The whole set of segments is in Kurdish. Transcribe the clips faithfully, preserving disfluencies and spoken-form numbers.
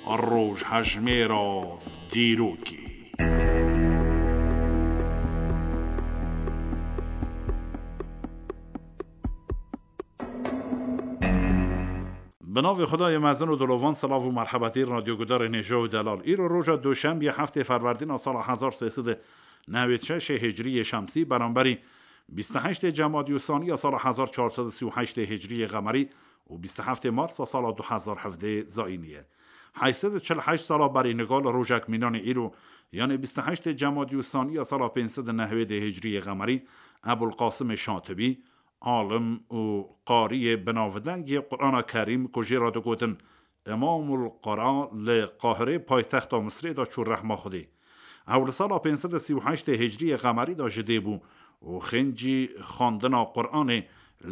Rojhejmêra dîrokê. Bi navê Xwedayê mezin û dilovan, silav û merhebetî radyogudarên hêja û delal. Îro roja Duşembiyê heftê Ferwerdîna sala hezar sê sed û newêd şeşê Hicriyê Şemsî, beramberî bîst û heştê Cemadî û Saniya sala hezar çar sed û sî û heştê Hicriyê Qemerî û bîst û heftê Marsa sala du hezar hevdê Zayînî ye. Heyşt sed û çil û heşt sala berî nika li rojek mînanê îro, yanê bîst û heştê Cemadî û Saniya sala pênc sed û newêdê Hicriyê Qemerî, Ebul Qasimê Şatibî, alim û qariyê binavdengê Qur'ana Kerîm ku jê re digotin Îmamul Qura, li Qahirê paytexta Misrê de çû rehma Xwedê. Ew li sala pênc sed û sî û heştê Hicriyê Qemerî de ji dê bû û xêncî xwendina Qur'anê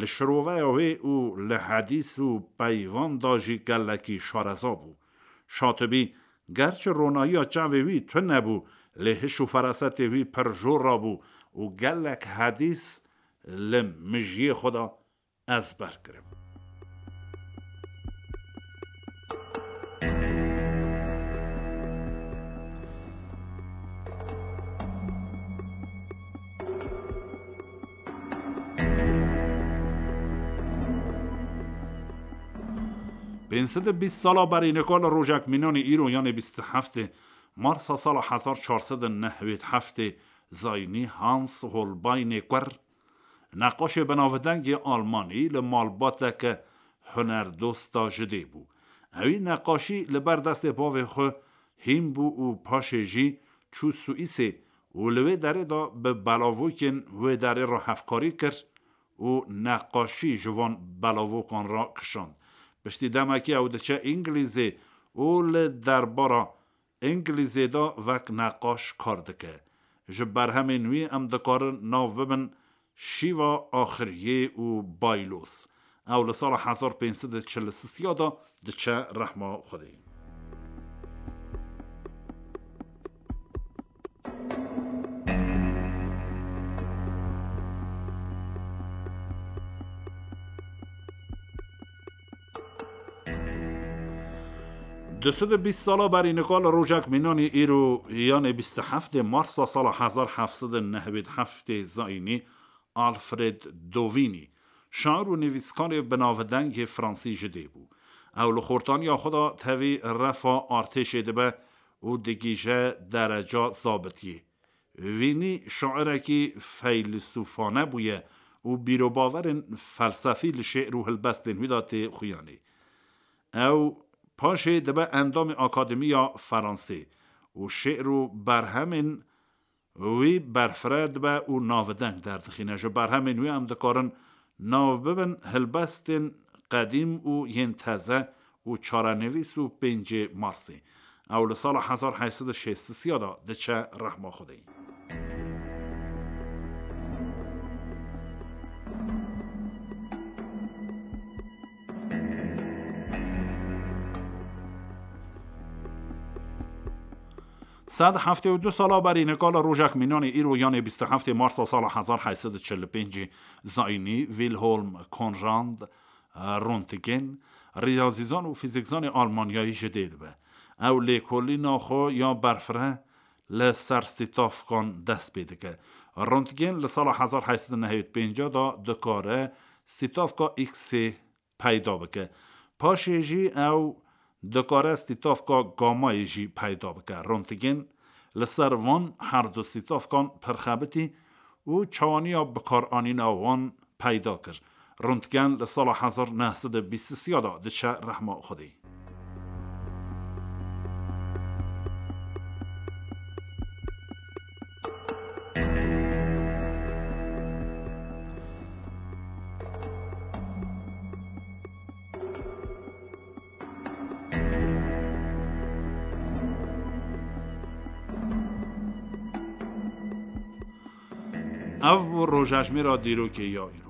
li şiroveya wê û li hedîs û peyvan de jî gelekî şareza bû. Şatibî, gerçi ronahiya çavê wî tune bû, lê hiş û ferasetê wî pir jor rabû û gelek hedîs li mijiyê xwe de ezber kiribû. Pênc sed û bîst sala berî nika li rojek mînanê îro, yanê bîst û heftê Marsa sala hezar çar sed û newêd heftê Zayînî, Hans Holbeinê Kur, neqaşê binavdengê Almanî, li malbateke hunerdosta ji dê bû. Ewî neqaşî li ber destê bavê xwe hîn bû û paşê jî çû Swîsê û li wê derê de bi belavokên wê derê re hevkarî kir û neqaşî ji van belavokan re kişand. Piştî demekî ew diçe Îngilîzê û li derbara Îngilîzê de wek neqaş kar dike. Ji berhemên wî em dikarin nav bibin Şîva Axiriyê û Baylos. Ew li sala hezar pênc sed û çil û sisiya de diçe rehma Xwedê. Du sed û bîst sala berî nika li rojek mînanî îro, yanê bîst û heftê Marsa sala hezar heft sed û newêd heftê Zayînî, Alfred Dovînî, şair û nivîskarê binavdengê fransî ji dê bû. Ew li xortaniya xwe de tevî refa artêşê dibe û digihîje dereca zabitiyê. Vînî şairekî feylisûfane bûye û bîrobawerên felsefî li şê'r û hilbestên wî de tê xuyanê. Ew paşê dibe endamê Akademiya Feransê û şê'r û berhemên wî berfireh dibe û navdeng derdixîne. Ji berhemên wî em dikarin nav bibin hilbestên qedîm û yên teze û çarenivîs û pêncê Marsê. Ew li sala hezar heyt sed û şêst sisiya de diçe rehma Xwedê. Sed heftê û du sala berî nika li rojek mînanê îro, yanê bîst û heftê Marsa sala hezar heyt sed û çil û pêncê Zayînî, Wilhelm Conrad Röntgen, riyazîzan û fîzîkzanê Almanyayî ji dê dibe. Ew lêkolîna xwe ya berfireh li ser sîtafkan dest pê dike. Röntgen li sala hezar heyt sed û nehewî pênc de dikare sîtafka X-ê peyda bike. Paşê jî ew dikare sîtafka gamayê jî peyda bike. Röntgen li ser van her du sîtafkan pir xebitî û çawaniya bikaranîna wan peyda kir. Röntgen li sala hezar neh sed û bîst sisiya de diçe rehma Xwedê. Ev bû rojejmêra dîrokê ya îro.